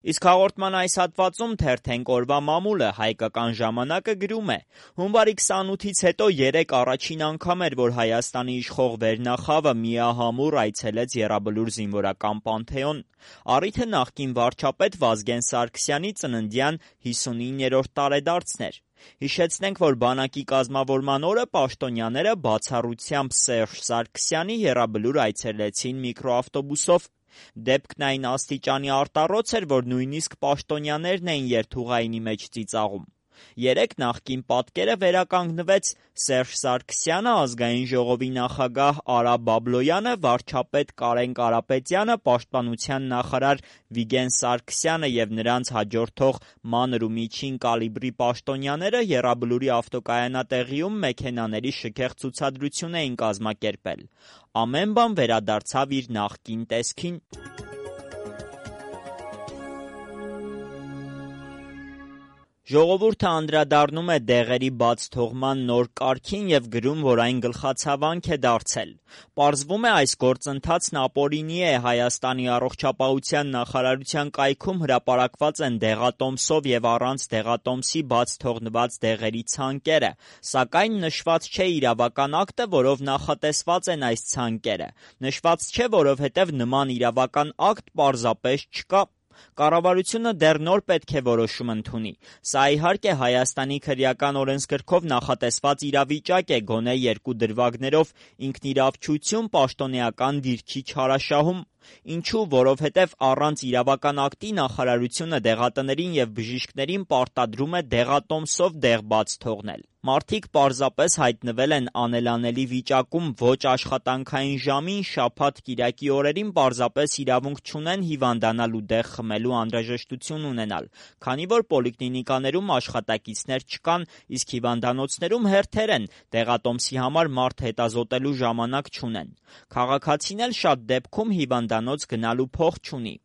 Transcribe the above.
Իսկ հաղորդման այս հատվածում թերթենք օրվա մամուլը, հայկական ժամանակը գրում է. հունվարի 28-ից հետո 3 առաջին անգամ էր, որ Հայաստանի իշխող վերնախավը միահամուռ այցելեց Եռաբլուր զինվորական պանթեոն։ Առիթը նախկին վարչապետ Վազգեն Սարգսյանի ծննդյան 59-րդ տարեդարձն էր։ Հիշեցնենք, որ բանակի կազմավորման օրը պաշտոնյաները բացառությամբ Սերժ Սարգսյանի Եռաբլուր այցելեցին միկրոավտոբուսով։ Դեպքն այն աստիճանի արտառոց էր, որ նույնիսկ պաշտոնյաներն էին երթուղայինի մեջ ծիծաղում։ 3 նախկին պատկերը վերականգնվեց Սերժ Սարգսյանը, Ազգային ժողովի նախագահ Արա Բաբլոյանը, վարչապետ Կարեն Կարապետյանը, պաշտպանության նախարար Վիգեն Սարգսյանը և նրանց հաջորդող մանր ու միջին կալիբրի պաշտոնյաները Եռաբլուրի ավտոկայանատեղիում մեքենաների շքեղ ցուցադրություն էին կազմակերպել։ Ամեն բան վերադարձավ իր նախկին տեսքին։ Ժողովուրդը անդրադառնում է դեղերի բաց թողման նոր կարգին և գրում, որ այն գլխացավանք է դարձել։ Պարզվում է, այս գործընթացն ապօրինի է։ Հայաստանի առողջապահության նախարարության կայքում հրապարակված են դեղատոմսով և առանց դեղատոմսի բաց թողնված դեղերի ցանկերը, սակայն նշված չէ իրավական ակտը, որով նախատեսված են այս ցանկերը։ Նշված չէ, որովհետև նման իրավական ակտ պարզապես չկա։ Կառավարությունը դեռ նոր պետք է որոշում ընդունի։ Սա իհարկե Հայաստանի քրեական օրենսգրքով նախատեսված իրավիճակ է, գոնե 2 դրվագներով ինքնիրավչություն, պաշտոնեական դիրքի չարաշահում։ Ինչու՞, որովհետև առանց իրավական ակտի նախարարությունը դեղատներին և բժիշկներին պարտադրում է դեղատոմսով դեղ բաց թողնել։ Մարդիկ պարզապես հայտնվել են անելանելի վիճակում, ոչ աշխատանքային ժամին, շաբաթ-կիրակի օրերին պարզապես իրավունք չունեն հիվանդանալ ու դեղ խմելու անհրաժեշտություն ունենալ, քանի որ պոլիկլինիկաներում աշխատակիցներ չկան, իսկ հիվանդանոցներում հերթեր են, դեղատոմսի համար մարդ հետազոտելու ժամանակ չունեն։ Քաղաքացին էլ շատ դեպքում հիվանդանոց գնալու փող չունի։